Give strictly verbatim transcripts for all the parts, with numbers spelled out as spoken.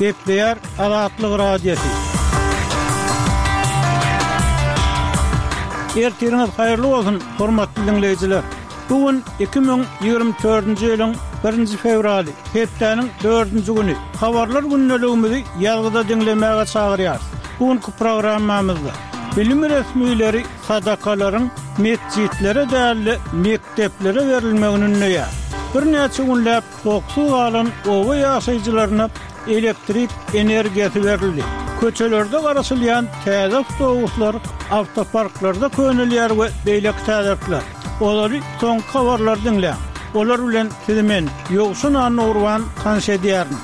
Gepleýär Azatlyk Radiosy. Ertiriňiz haýyrly bolsun, hormatly diňleýjiler! Bu gün iki müň ýigrimi dördünji ýylyň birinji fewraly, hepdäniň dördünji güni. Habarlar gündeligimizi ýazgyda diňlemäge çagyrýarys. Bu günki programmamyzda bilim resmileri sadakalaryň metjitlere däl-de, mekdeplere berilmegini ündeýär. Birnäçe günläp toksuz galan oba ýaşaýjylaryna elektrik energiýasy berildi. Köçelerde garaşylýan täze awtobuslar awtoparklarda könelýär we beýleki täzelikler. Olary soňky habarlar diňläň. Olar bilen sizi men, Ýowşan Annagurban tanyş edýärin.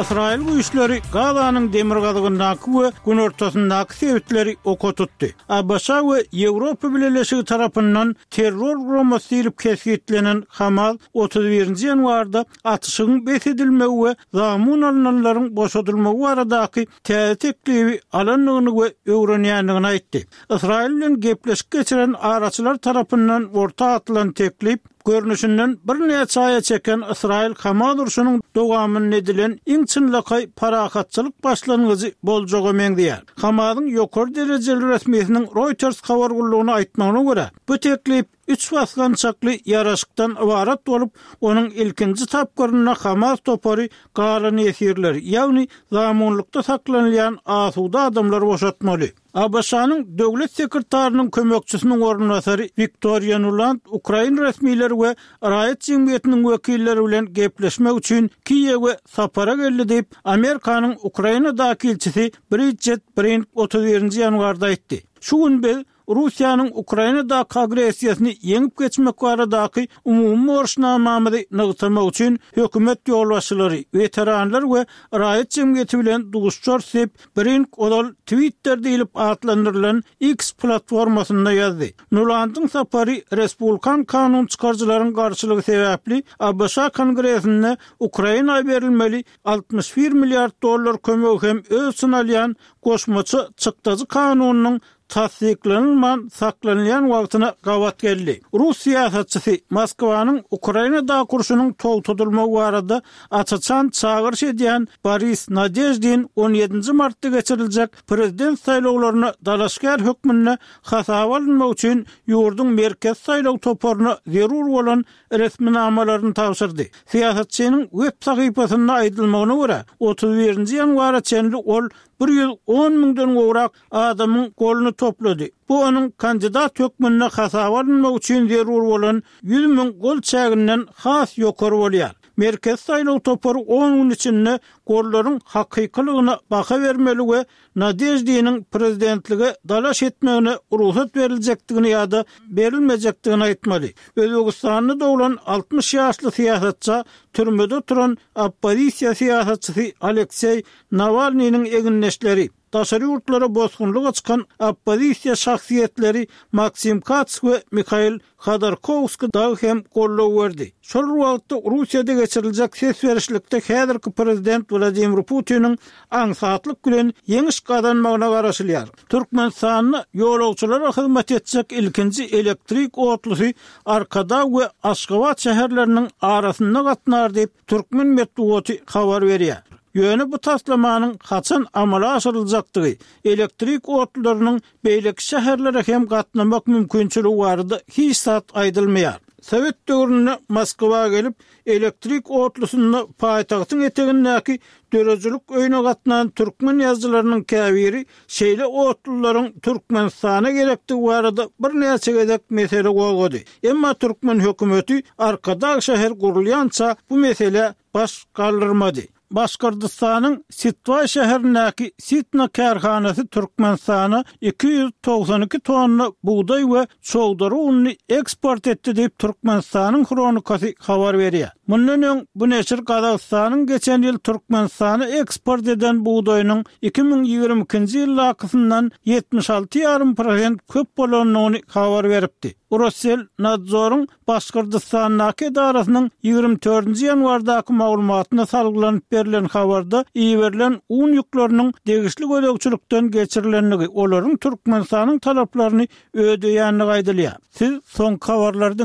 Ysraýyl güýçleri Gazanyň demirgazygyndaky we günortasyndaky sebitleri oka tutdy. ABŞ we Ýewropa Bileleşigi tarapyndan terror guramasy diýlip kesgitlenen Hamas otuz birinji ýanwarda atyşygyň bes edilmegi we zamun alnanlaryň boşadylmagy baradaky täze teklibi alandygyny we öwrenýändigini aýtdy. Ysraýyl bilen gepleşik geçiren araçylar tarapyndan orta atylan teklip, görnüşinden birnäçe aýa çeken Ysraýyl-Hamas urşunyň dowamynda edilen iň çynlakaý parahatçylyk başlangyjy boljaga meňzeýär. Hamasyň ýokary derejeli resmisiniň Reuters habar gullugyna aýtmagyna görä, bu teklip üç basgançakly ýaraşykdan ybarat bolup, onuň ilkinji tapgyrynda Hamas topary galan ýesirleri, ýagny zamunlykda saklanylýan asuda adamlary boşatmaly. ABŞ-nyň Döwlet sekretarynyň kömekçisiniň orunbasary Wiktoriýa Nuland ukrain resmileri we raýat jemgyýetiniň wekilleri bilen gepleşmek üçin Kiýewe sapara geldi diýip, Amerikanyň Ukrainadaky ilçisi Bridjet Brink otuz birinji ýanwarda aýtdy. Şu gün biz Russiýanyň Ukrainadaky agressiýasyny ýeňip geçmek baradaky umumy borçnamamyzy nygtamak üçin hökümet ýolbaşçylary, weteranlar we raýat jemgyýeti bilen duşuşarys diýip, Brink ozal Twitter diýlip atlandyrylan X platformasynda ýazdy. Nulandyň sapary respublikan kanun çykaryjylaryň garşylygy sebäpli ABŞ Kongresinde Ukraina berilmeli altmyş bir milliard dollar kömegi hem öz içine alýan goşmaça çykdajy kanunynyň tassyklanylman saklanylýan wagtyna gabat geldi. Rus syýasatçysy Moskwanyň Ukrainadaky urşunyň togtadylmagy barada aç-açan çagyryş edýän Boris Nadeždin on ýedinji martda geçiriljek prezident saýlawlaryna dalaşgär hökmünde hasaba alynmak üçin ýurduň Merkezi saýlaw toparyna zerur bolan resminamalaryny tabşyrdy. Syýasatçynyň web sahypasynda aýdylmagyna görä, otuz birinji ýanwara çenli ol bir ýüz on müňden gowrak adamyň goluny toplady. Bu onuň kandidat hökmünde hasaba alynmagy üçin zerur bolan ýüz müň gol çäginden has ýokary bolýar. Merkezi saýlaw topary on gün içinde gollaryň hakykylygyna baha bermeli we Nadeždiniň prezidentlige dalaş etmegine rugsat beriljekdigini ýa-da berilmejekdigini aýtmaly. Özbegistanda doglan altmyş ýaşly syýasatça türmede oturan oppozisiýa syýasatçysy Alekseý Nawalnynyň egindeşleri, daşary ýurtlara bosgunlyga çykan oppozisiýa şahsyýetleri Maksim Kats we Mihail Hodorkowskiý dagy hem goldaw berdi. Şol bir wagtda Russiýada geçiriljek ses berişlikde häzirki prezident Wladimir Putiniň aňsatlyk bilen ýeňiş gazanmagyna garaşylýar. Türkmenistanda ýolagçylara hyzmat etjek ilkinji elektrik otlusy Arkadag we Aşgabat şäherleriniň arasynda gatnar diýip, türkmen metbugaty habar berýär. Ýöne bu taslamanyň haçan amala aşyryljakdygy, elektrik otlularynyň beýleki şäherlere hem gatnamak mümkinçiligi barada hiç zat aýdylmaýar. Sowet döwründe Moskwa gelip, elektrik otlusynda paýtagtyň etegindäki döredijilik öýüne gatnan türkmen ýazyjylarynyň käbiri şeýle otlularyň Türkmenistana gerekdigi barada birnäçe gezek mesele gozgady. Emma türkmen hökümeti Arkadag şäheri gurulýança bu meselä baş galdyrmady. Başgyrdystanyň Sitwaý şäherindäki Sitna kärhanasy Türkmenistana iki ýüz togsan iki tonna bugdaý we çowdary ununy eksport etdi diýip, Türkmenistanyň Hronikasy habar berýär. Mundan öň bu neşir Gazagystanyň geçen ýyl Türkmenistana eksport eden bugdaýynyň iki müň ýigrimi ikinji ýyldakysyndan ýetmiş alty ýarym prosent köp bolandygyny habar beripdi. Rosselnadzoryň Başgyrdystandaky edarasynyň ýigrimi dördünji ýanwardaky maglumatyna salgylanyp berlen habarda iberilen un ýükleriniň degişli gözegçilikden geçirilendigi, olaryň Türkmenistanyň talaplaryny ödeýändigi aýdylýar. Siz soňky habarlary diňläň.